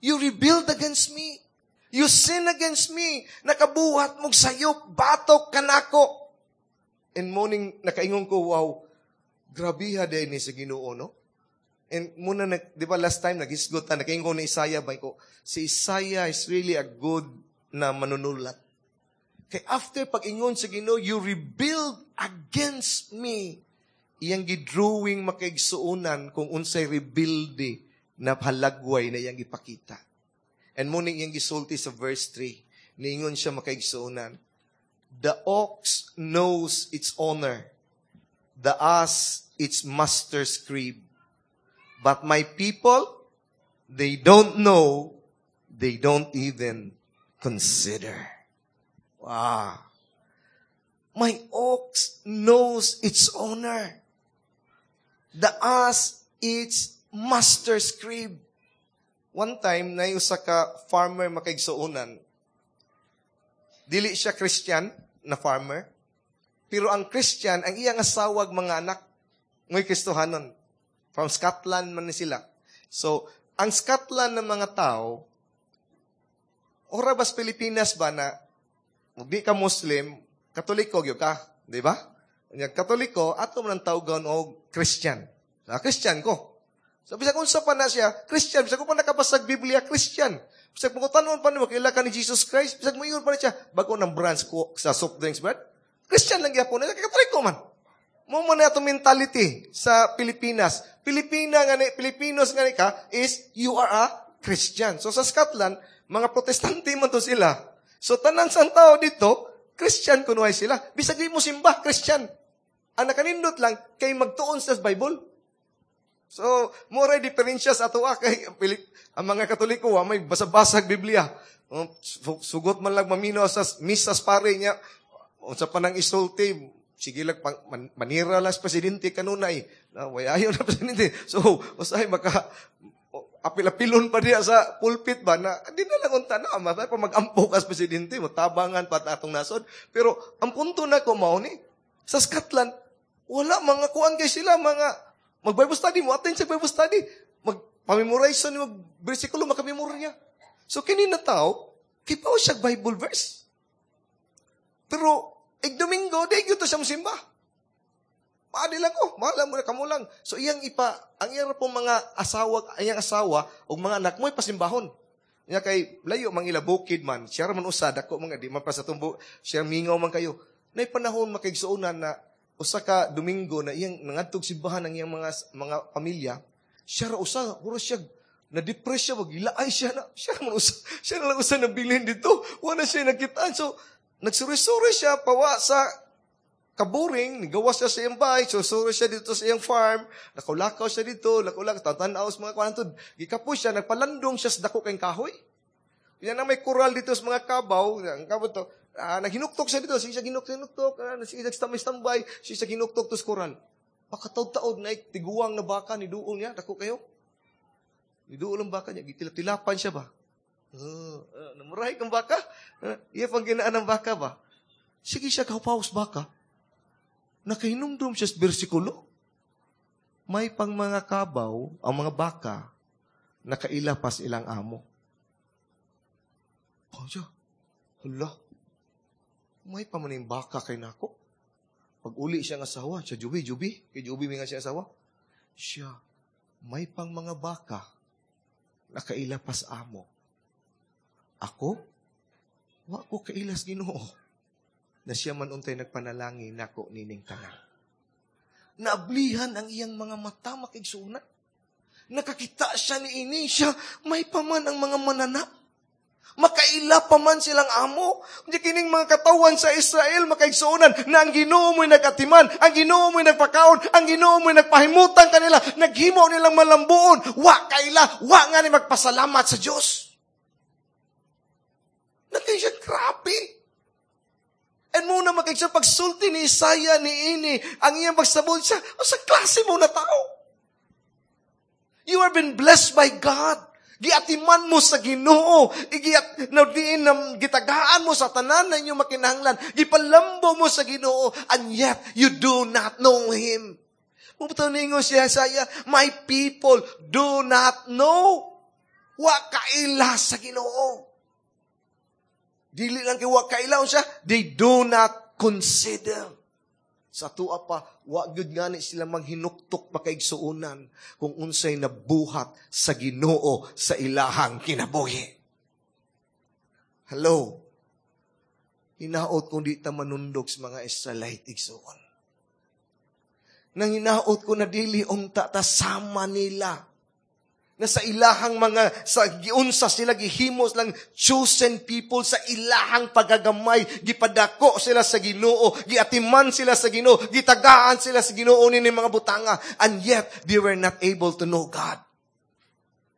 You rebelled against me. You sin against me. Nakabuhat mong sayop, batok kanako. And morning, nakaingon ko, "Wow, grabiha din ni sa Ginoo, no?" And muna, di ba last time, naghisgot ta, nakaingon ni Isaiah, ba ko, si Isaiah is really a good na manunulat. Kay after pag-ingon sa Ginoo, "You rebelled against me," iyang gidrawing, makaigsuonan, kung unsay rebelde na halagway na iyang ipakita. And muning iyang gisulti sa verse 3, niingon siya, makaigsuonan, "The ox knows its owner, the ass its master's crib. But my people, they don't know, they don't even consider." Wow. My ox knows its owner. The ass its master's crib. One time, na usa ka farmer, makaigsuonan. Dili siya Christian na farmer. Pero ang Christian, ang iyang asawag, mga anak, ngo'y Kristohanon. From Scotland man ni sila. So, ang Scotland ng mga tao, ora bas Pilipinas ba na, di ka Muslim, Katoliko gyud ka, di ba? Nya Katoliko, ato man ang tawgon og Christian. Sa Christian ko. So, bisag unsa pa na siya, Christian. Bisag pa nakabasag Biblia, Christian. Bisag pangutanon pa nimo, "Kaila ka ni Jesus Christ?" Bisag moingon pa na siya, bago ng branch ko sa soft drinks, brad. Christian lang gyapon. Katoliko man. Mo man na atong mentality sa Pilipinas. Pilipina nga ni, Pilipinos nga ni ka, is you are a Christian. So sa Scotland, mga Protestante man to sila. So tanan sang tao dito, Christian kunuhay sila. Bisag di mo simba, Christian. Ang nakanindot lang, kay magtuon sa Bible. So, mo ray diferensya sa ato kay ang mga Katoliko wa may basa-basag Biblia. Sugot man lang mamino sa misa sa pare niya. Unsa pa nang isulti, sige lang pang, manira lang sa presidente kanunay. Na way ayo na presidente. So, usahay maka apil-apilon pa diya sa pulpit ba na di na lang unta na ma pa mag-ampo ka sa presidente mo tabangan pa atong nasod. Pero ang punto na ko mao ni sa Scotland, wala mga kuan kay sila, mga mag-Bible study mo, attend sa Bible study, mag-pamemorize ni mag bersikulo, makamemorya. So, kini na tao, kipaw siya Bible verse. Pero, ig Domingo, di gyud to siya mosimba. Paadi lang ko, mahal mo na kamo lang. So, iyang ipa, ang iyang pong mga asawa, iyang asawa, o mga anak mo, ipasimbahon. Nya kay, layo mang ila bukid man, siya man usa, dako mga, di man pa sa tumbo, siya mingaw man kayo. Nay panahon makaigsuonan na, usa ka Domingo na iyang nangadtog simbahan ang iyang mga pamilya, siya ra usa, puro siya na-depress siya, wag ilaay siya na, siya man usa, siya na lang usa nabilin dito, wala siya nakitaan. So, nagsuri-suri siya, pawa sa kaburing, nigawas siya sa iyang bahay, susuri siya dito sa iyang farm, nakulakaw siya dito, nakulakaw, tatanaw sa mga kwanto, gikapo siya, nagpalandong siya sa dako kayong kahoy. Yan na may kural dito sa mga kabaw, ang kabaw to, naghinuktok siya dito, siya hinuktok, siya tambay-tambay, siya hinuktok to sa kural. Pakataod-taod na tiguang na baka, ni duol niya, dako kayo. Ni duol ang baka niya, gitila-tilapan siya ba? Namurahi kang baka? Iya pang ginaan ng baka ba? Sige siya, kapaus baka. Nakahinumdum siya sa bersikulo. May pang mga kabaw, ang mga baka, nakaila pas ilang amo. Oh, siya. Hala. May pa man yung baka kay nako. Pag uli siya ng asawa, siya, "Jubi, Jubi." Kay Jubi may nga siya asawa. Siya, "May pang mga baka, nakaila pas amo. Ako, wa ko kailas Ginoo. Na siya man untay nagpanalangin nako nining tanan." Naablihan ang iyang mga mata, makigsunan. Nakakita siya ni ini siya, may paman ang mga mananap. Makaila pa man silang amo. Hindi kining mga katawan sa Israel, makaigsuonan, na ang Ginoo mo'y nagatiman, ang Ginoo mo'y nagpakaon, ang Ginoo mo'y nagpahimutan kanila, naghimo nilang malambuon. Wa kaila, wa nga ni magpasalamat sa Dios. Naging siya grabe. And muna makaigsuon pagsulti ni Isaiah ni ini, ang iyang pagsabon siya, o sa klase mo na tao. You have been blessed by God. Giatiman mo sa Ginoo, igiat na diin na gitagaan mo sa tanan na inyong makinahanglan, gipalambo mo sa Ginoo, and yet you do not know Him. Mubutaw ningo siya Isaiah, "My people do not know." Wa kaila sa Ginoo. Dili lang kay wa kaila siya, they do not consider. Sa tua pa, wa gyud ngani sila maghinuktok makaigsuonan kung unsay nabuhat sa Ginoo sa ilahang kinabuhi. Hello? Hinaot kung di ta manundog sa mga Israelite, igsuon. Nang hinaot ko na dili unta ta sama nila na sa ilahang mga, sa giunsa sila, gihimos lang chosen people sa ilahang pagagamay, gipadako sila sa Ginoo, giatiman sila sa Ginoo, gitagaan sila sa Ginoo ni mga butanga, and yet they were not able to know God.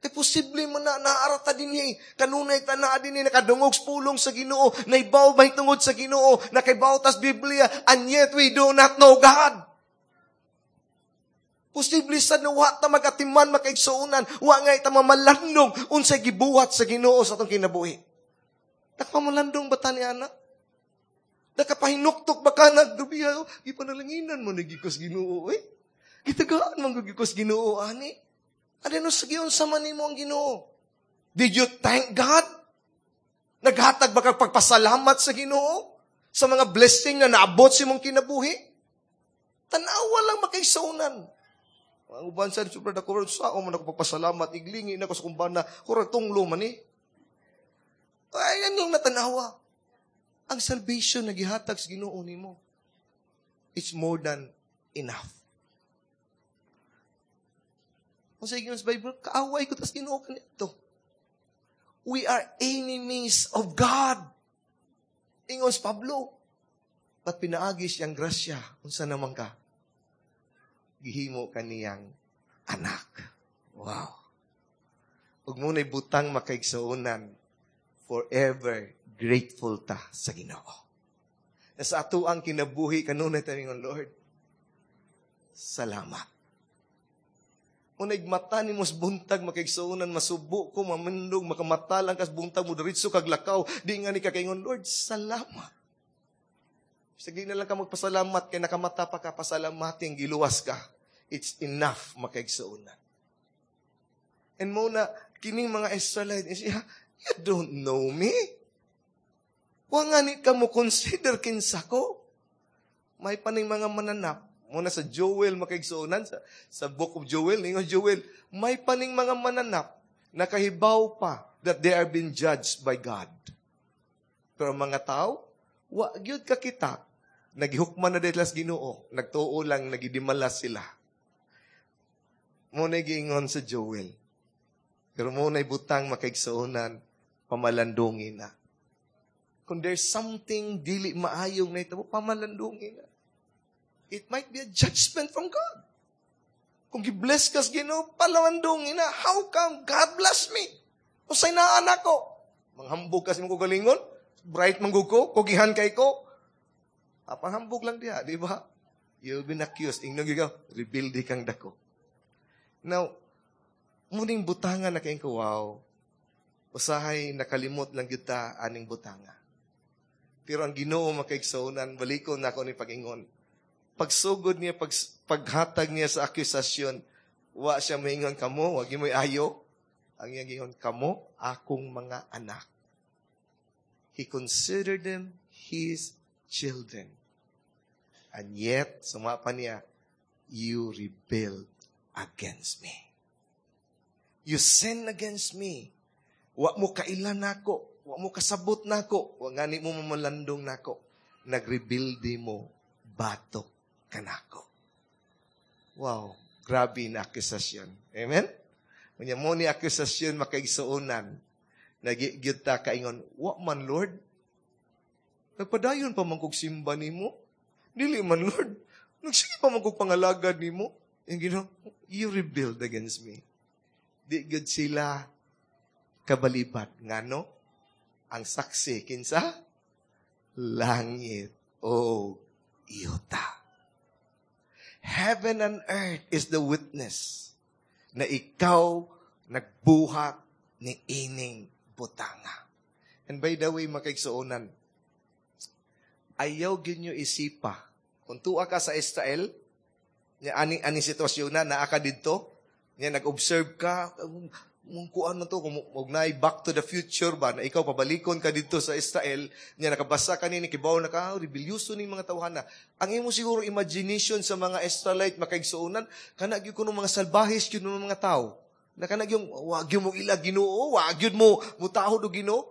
Kay posible man na naarata din niya. Kanunay ta naa din nakadungog sa pulong sa Ginoo, naibaw ba tungod sa Ginoo, nakaibaw tas Biblia, and yet we do not know God. Posible sa na wa ta magatiman makaigsuonan, wa nga ita mamalandong unsay gibuhat sa Ginoo sa atong kinabuhi. Nakapamalandong ba ta ni ana? Nakapahinuktok ba ka nagdubiya? Gipanalanginan mo nagikos Ginoo eh. Gitagaan man gikos Ginoo ani. Ano sa giunsa man nimo ang Ginoo? Did you thank God? Naghatag ba kag pagpasalamat sa Ginoo sa mga blessing na naabot sa imong kinabuhi? Tanawa lang makaigsuonan. Ang uban sa super dako sa ako man ako pagpasalamat, iglingi na ko sa kumbana, kurang tunglo man eh. Ay, yan yung natanawa. Ang salvation na gihatag sa Ginoo nimo, it's more than enough. Kung sa sa Bible, kaaway ko tas Ginoo kanito. We are enemies of God. Ingon si Pablo. But pinaagi siyang grasya, unsa naman ka? Gihimo kaniyang anak. Wow. Ug muna'y butang makaigsuonan, forever grateful ta sa Ginoo. Na sa ato ang kinabuhi kanunay ta ingon, "Lord, salamat." Unay mata ni mos buntag makaigsuonan, masubo ko, mamindog, makamata lang kas buntag mo diretso kag lakaw, di nga ni kakaingon, "Lord, salamat." Sige na lang ka magpasalamat kay nakamata pa ka, pasalamatin giluwas ka. It's enough makaigsuonan. And mo na kining mga Israelite, siya, "You don't know me. Wa nga ni ka mo consider kinsa ko." May paning mga mananap. Muna sa Joel makaigsuonan, sa Book of Joel, ningon Joel, may paning mga mananap nakahibaw pa that they are being judged by God. Pero mga tao, wa gyud ka kita, nagihukman na dito sa Ginoo, nagtuo lang, nagidimala sila. Muna giingon sa Joel. Pero muna butang makaigsuonan, pamalandungin na. Kung there's something dili maayong na ito, pamalandungin na. It might be a judgment from God. Kung gi-bless ka sa Ginoo, palamandungin na. How come God bless me? Usay na anak ko. Manghambog ka sa imong kagalingon, bright man ko, kugihan kay ko. Panghambog lang diha, di ba? You'll be accused. Ingnon gyud ka, rebelde kang dako. Now, muning butangan na kayong ko, wow. Usahay nakalimot lang gyud ta aning butanga. Pero ang Ginoo makaigsuonan, balikon na ako ni pag-ingon. Pagsugod niya, paghatag niya sa akusasyon, wa siya maingon kamo, wag mo ayo. Ang iyang gingon, "Kamo, akong mga anak." He considered them his children. And yet, sumapa niya, "You rebelled against me. You sin against me. Wa mo kailan nako, wa mo kasabot nako, wa ngani mo mamalandong nako. Nagrebelde mo, batok kanako." Wow, grabe na akusasyon. Amen? Unya mo ni akusasyon makaigsuonan, nagigyud ta kaingon, "Wa man, Lord. Nagpadayon pa man kog simba nimo. Dili man, Lord. Nagsige pa man kog pangalagad nimo." Yung Ginoo, "You rebelled against me." Di gyud sila kabalibat. Ngano? Ang saksi, kinsa? Langit o yuta. Heaven and earth is the witness na ikaw nagbuhat ni ining butanga. And by the way, makaigsuonan, ayaw ginyo isipa. Kung tuwa ka sa Israel, niya ani ani sitwasyon na naa ka didto, niya nag-observe ka, Mong kuan na to, kung og naay Back to the Future ba, na ikaw pabalikon ka dito sa Israel, niya nakabasa ka ni, kibaw na ka, oh, rebelyoso ni mga tawhana. Ang imo siguro imagination sa mga Israelite makaigsuonan, kana gyud kuno mga salbahis gyud mga tao. Na kana gyud wa gyud mo ila Ginoo, wa gyud mo mutahod og Ginoo.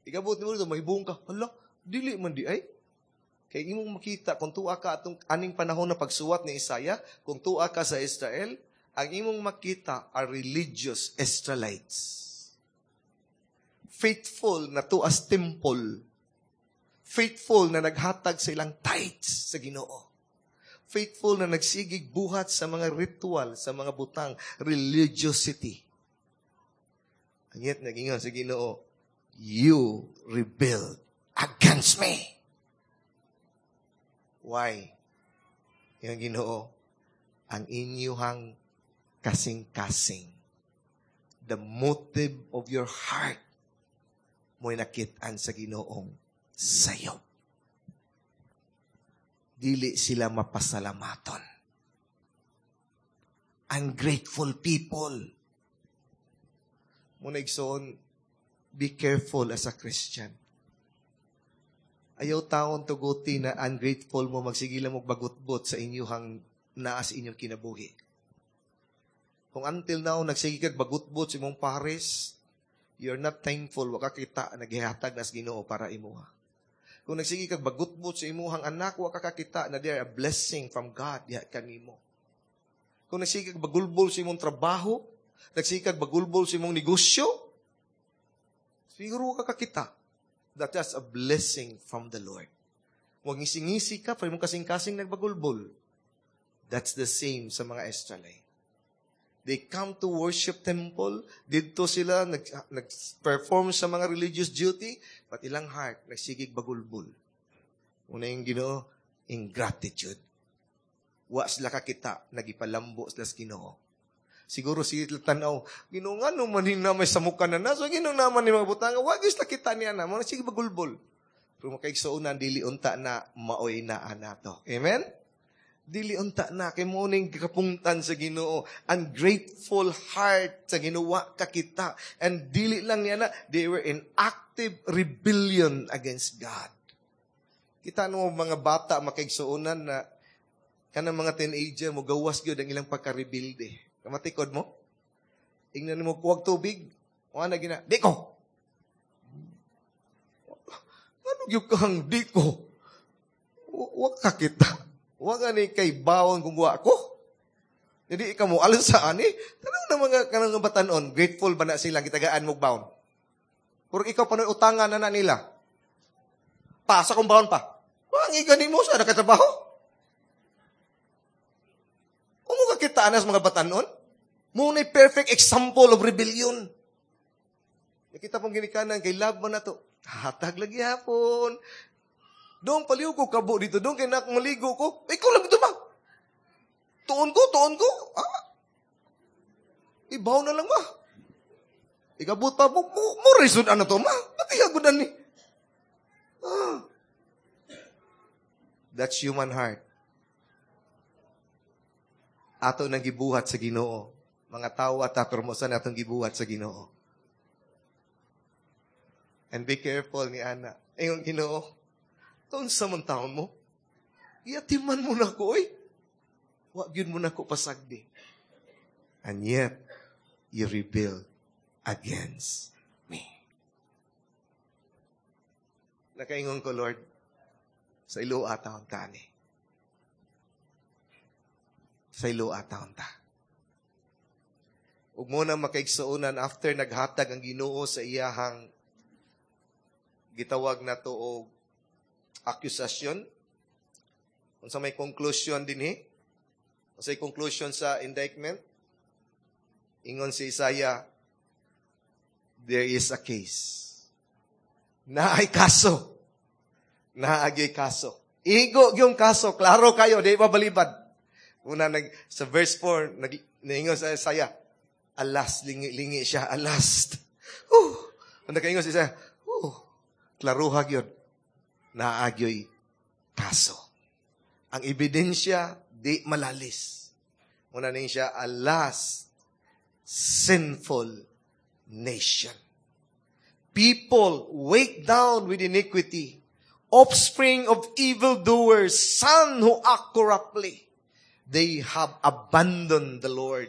Igabot nimo dito, mahibong ka. Hala, dili man di ay. Kay imong makita kung tuwa ka atong aning panahon na pagsuwat ni Isaiah, kung tuwa ka sa Israel, ang imong makita are religious Israelites. Faithful na tuas temple. Faithful na naghatag sa ilang tithes sa Ginoo. Faithful na nagsigig buhat sa mga ritual, sa mga butang, religiosity. Ang yet nagingon sa Ginoo, "You rebelled against me." Why? Yung Ginoo, ang inyuhang kasing-kasing, the motive of your heart, mo'y nakitaan sa Ginoong sayop. Dili sila mapasalamaton. Ungrateful people. Muna igsoon, be careful as a Christian. Ayaw taon tuguti na ungrateful mo, magsige lang mo bagutbot sa inyuhang naa sa inyong kinabuhi. Kung until now, nagsige kag bagutbot sa imong pares, you're not thankful, wa ka kita naghihatag nas Ginoo para imuha. Kung nagsige kag bagutbot sa imuhang anak, wa ka kakita na they are a blessing from God diha kanimo. Kung nagsige kag bagulbol sa imong trabaho, nagsige kag bagulbol sa imong negosyo, siguro ka kakita that that's a blessing from the Lord. Huwag ngisi-ngisi ka, pero imong kasing-kasing nagbagulbol. That's the same sa mga Israelite. They come to worship temple. Didto sila nag-perform sa mga religious duty, but ilang heart nagsigig bagulbol. Una yung Ginoo, ingratitude. Wa sila kakita, nagipalambo sila sa Ginoo. Siguro sige tanaw, Ginoo, nga no man na may samukan na na, so Ginoo naman ni mga butanga, wa gyud sila kita niya na, mga sige bagulbol. Pero makaigsuonan, dili unta na maoy na anato. Amen? Dili unta na kay mo ning kapungtan sa Ginoo, ungrateful heart sa Ginoo kakita. And dili lang niya na, they were in active rebellion against God. Kita no mga bata makaigsuonan na kanang mga teenager mo gawas gyud ang ilang pagka-rebelde. Kamatikod mo? Ingnan mo kuwag tubig, wa na gina, di ko. Ano gyud kang di ko? Wa ka kita. Wa gani kay bawon kung wa ko. Hindi ka mo alam sa ani. Tanong na mga kanang batanon, grateful ba na silang gitagaan mo bawon? Pero ikaw panoy utangan na na nila. Pa sa kong bawon pa. Wa ang igani mo sa nakatrabaho. Umo ka kita anas mga batanon? Mo na perfect example of rebellion. Nakita pong ginikanan kay love mo na to. Hatag lagi hapon. Doon paliw ko kabo dito. Doon kay nak maligo ko. Ikaw lang ito ba? Tuon ko, tuon ko. Ah. Ibaw na lang ba? Ikabot pa mo, mo reason ano to ma? Pati agudan ni. Ah. That's human heart. Ato nang gibuhat sa Ginoo. Mga tao at pero mo sa atong gibuhat sa Ginoo. And be careful ni Ana. Ingon Ginoo, taon sa mong taon mo, iatiman mo na ko, oy. Wa gyud mo na ko pasagdi. And yet, you rebel against me. Nakaingon ko, Lord, sa ilo ataon ta ni. Sa ilo ataon ta. Ug mo na makaigsuonan after naghatag ang Ginoo sa iyahang gitawag na to og accusation. Unsa may conclusion dinhi? Unsa may conclusion sa indictment? Ingon si Isaiah, there is a case. Naay kaso. Naagay kaso. Igo yung kaso. Klaro kayo, di ba balibad? Una, sa verse 4, naingon sa Isaiah, alas, lingi-lingi siya, alas. Nakaingon si Isaiah, klaruha gyud. Naagyoy kaso. Ang ebidensya, di malalis. Una ning siya, alas, Sinful nation. People weighed down with iniquity, offspring of evildoers, son who act corruptly. They have abandoned the Lord.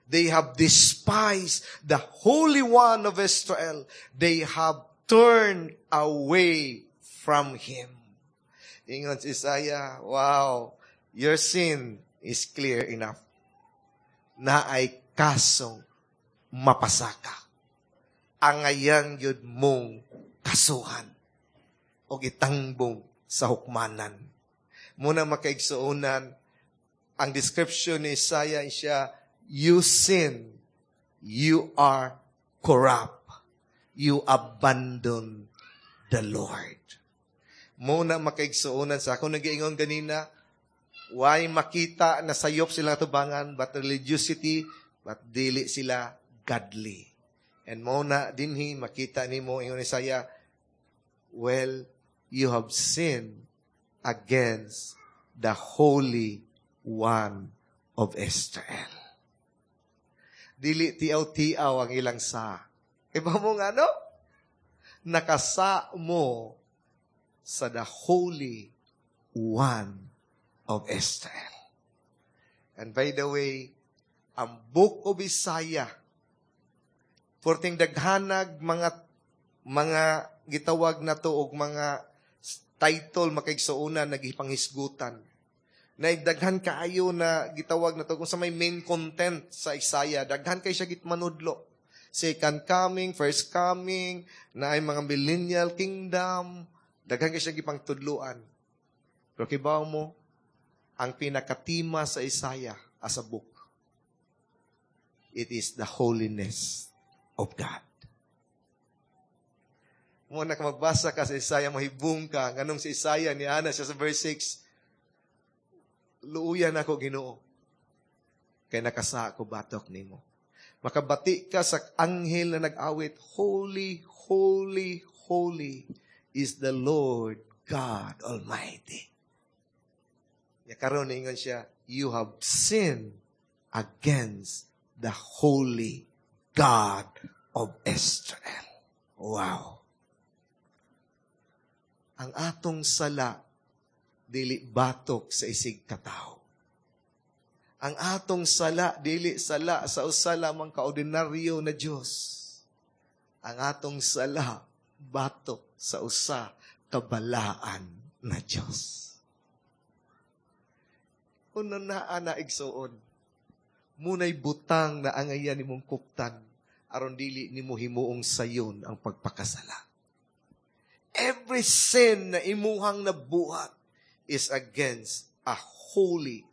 They have despised the Holy One of Israel. They have turned away from Him. Ingon si Isaiah, "Wow, your sin is clear enough." Naay kasong mapasaka. Angayan gyud mong kasuhan o itangbong sa hukmanan. Muna, makaigsuonan, ang description ni Isaiah siya, "You sin, you are corrupt, you abandon the Lord." Muna, makaigsuonan, sa ako nag-iingon ganina, why makita na sayop sila tubangan, but religiosity, but dili sila godly. And mo na dinhi makita nimo, ingon ni Isaiah, "Well, you have sinned against the Holy One of Israel." Dili tiaw-tiaw ang ilang sa. Iba mo nga, no? Nakasa mo sa the Holy One of Israel. And by the way, ang Book of Isaiah, perting daghanag mga gitawag na to og mga title, makaigsuonan, nagipanghisgutan. Na daghan kaayo na gitawag na to kung sa may main content sa Isaiah, daghan kay siya gitmanudlo. Second coming, first coming, na ay mga millennial kingdom, daghan kay siya gipangtudluan. Pero kibaw mo, ang pinakatima sa Isaiah as a book, it is the holiness of God. Mo na magbasa ka sa Isaiah, mahibong ka. Nganong si Isaiah, ni ana siya sa verse 6, "Luuyan ako, Ginoo, kay nakasa ko batok nimo." Makabati ka sa anghel na nag-awit, "Holy, holy, holy is the Lord God Almighty." Ya karon ingon siya, "You have sinned against the holy God of Israel." Wow. Ang atong sala dili batok sa isig katawo. Ang atong sala dili sala sa usa lamang kaordinaryo na Dios. Ang atong sala batok sa usa kabalaan na Dios. Kung naa na, igsuon, munay butang na angayan nimong kuptan aron dili nimo himuong sayon ang pagpakasala. Every sin na imuhang nabuhat is against a holy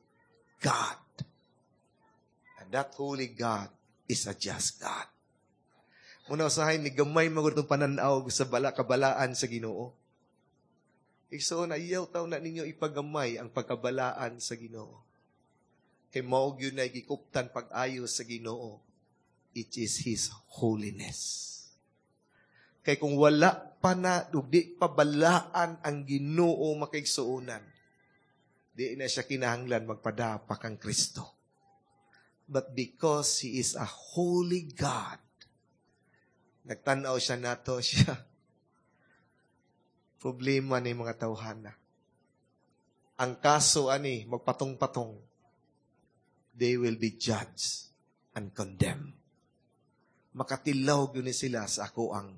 God. And that holy God is a just God. Muna usahay ni gamay magud itong pananaw sa bala kabalaan sa Ginoo. Igsoon, ayaw taw na ninyo ipagamay ang pagkabalaan sa Ginoo. Kay mao gyud na gikuptan pag-ayo sa Ginoo. It is His holiness. Kay kung wala pa na, ug di pa balaan ang Ginoo, makaigsuonan, di na siya kinahanglan magpadapa kang Kristo. But because He is a holy God, nagtanaw siya nato siya. Problema ni mga tawhana. Ang kaso ani, magpatong-patong, they will be judged and condemned. Makatilaw gyud ni sila sa ako ang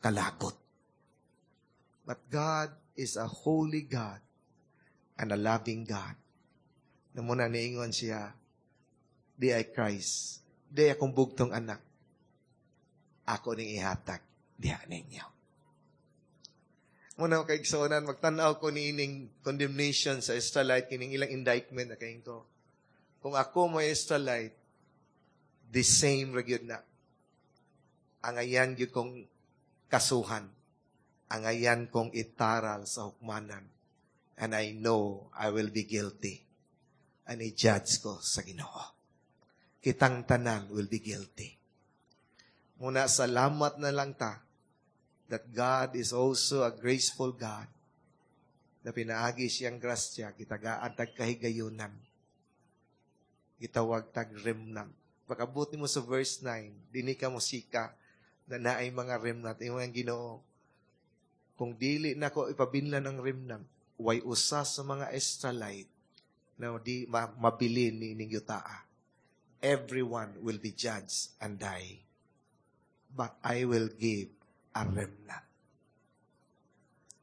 kalagot. But God is a holy God and a loving God. Na muna niingon siya, "Di ay Christ, di akong bugtong anak, ako ning ihatag diha ninyo." Muna, kaigsuonan, magtanaw ko ni ining condemnation sa Israelite, kining ilang indictment na ko. Kung ako mo Israelite, the same ra gyud na. Angayan gyud kong kasuhan. Angayan kong itaral sa hukmanan. And I know I will be guilty. And i-judge ko sa Ginoo. Kitang tanan will be guilty. Muna, salamat na lang ta that God is also a graceful God na pinaagi siyang grasya, gitagaan tag kahigayunan, gitawag tag remnant. Pag-abot nimo sa verse 9, dinhi ka mosika na naay mga remnant. Ingon ang Ginoo, kung dili nako ipabinlan ang remnant, way usa sa mga Israelite na di mabilin niining yutaa. Everyone will be judged and die. But I will give a remnant.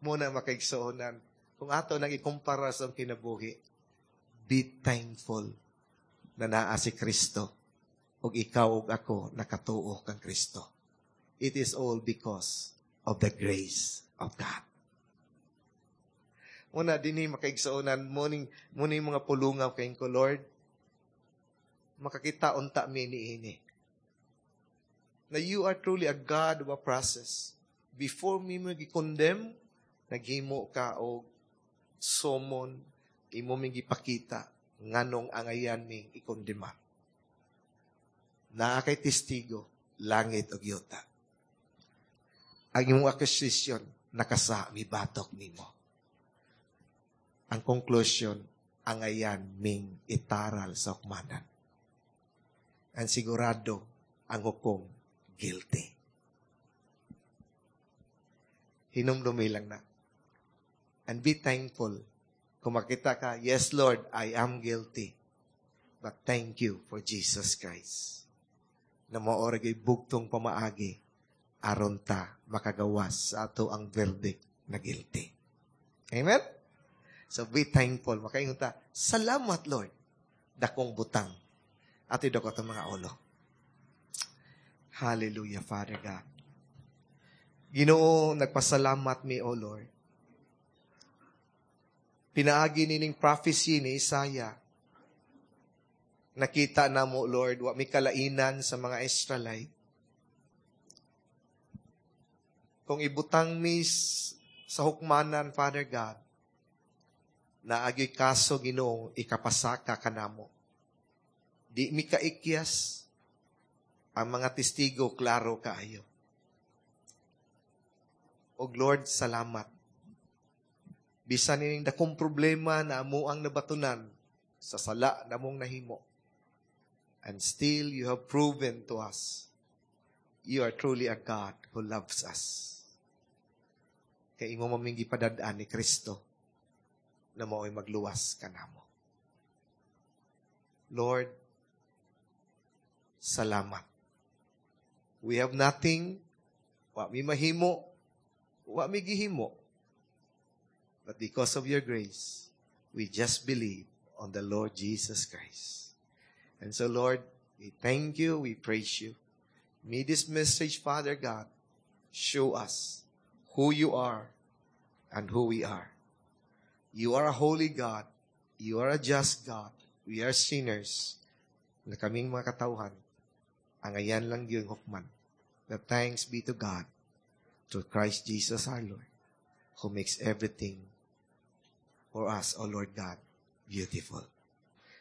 Mao na, makaigsuonan, kung ato nang ikumpara sa kinabuhi, be thankful na naa si Kristo ug ikaw ug ako nakatuo kang Kristo. It is all because of the grace of God. Mao na dinhi, makaigsuonan, mao ning mga pulungaw kay ko, Lord, makakita unta mi niini na you are truly a God of a process. Before mi mo gi-condemn, naghimo ka og summon, imo mi gipakita nganong angayan mi ikondema. Naa kay testigo, langit ug yuta. Ang imong accusation nakasa mibatok nimo. Ang conclusion, angayan ming itaral sa hukmanan. Ang sigurado, ang hukom, guilty. Hinumdumi lang na. And be thankful. Kung makita ka, "Yes, Lord, I am guilty. But thank you for Jesus Christ." Na mao ra bugtong pamaagi aron ta makagawas sa atoang verdict na guilty. Amen? So be thankful. Makaingon ta, "Salamat, Lord." Dakong butang. Ato idako atong mga ulo. Hallelujah, Father God. Ginoo, nagpasalamat mi, O Lord. Pinaagi nining prophecy ni Isaiah. Nakita namo, Lord, wa mi kalainan sa mga Israelite. Kung ibutang mi sa hukmanan, Father God, naa gyuy kaso, Ginoo, ikapasaka kanamo. Di mi kaikyas, ang mga testigo klaro kaayo. Og Lord, salamat. Bisan ining dakong problema na amo ang nabatunan sa sala namong nahimo. And still you have proven to us you are truly a God who loves us. Kay imo man ming gipadad-an ni Kristo na mao'y magluwas kanamo. Lord, salamat. We have nothing, wa mi mahimo, wa mi gihimo. But because of your grace, we just believe on the Lord Jesus Christ. And so, Lord, we thank you, we praise you. May this message, Father God, show us who you are and who we are. You are a holy God. You are a just God. We are sinners. Na kaming mga katawhan, angayan lang yung hukman. But thanks be to God, through Christ Jesus our Lord, who makes everything for us, O Lord God, beautiful.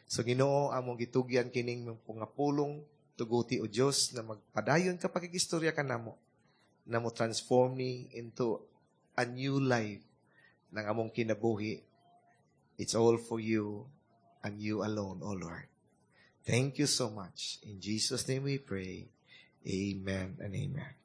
So Ginoo, among gitugyan kining mga pulong, tuguti o Dios na magpadayon ka pakigistorya kanamo na mo transform ni into a new life ng among kinabuhi. It's all for you and you alone, O Lord. Thank you so much. In Jesus' name we pray. Amen and amen.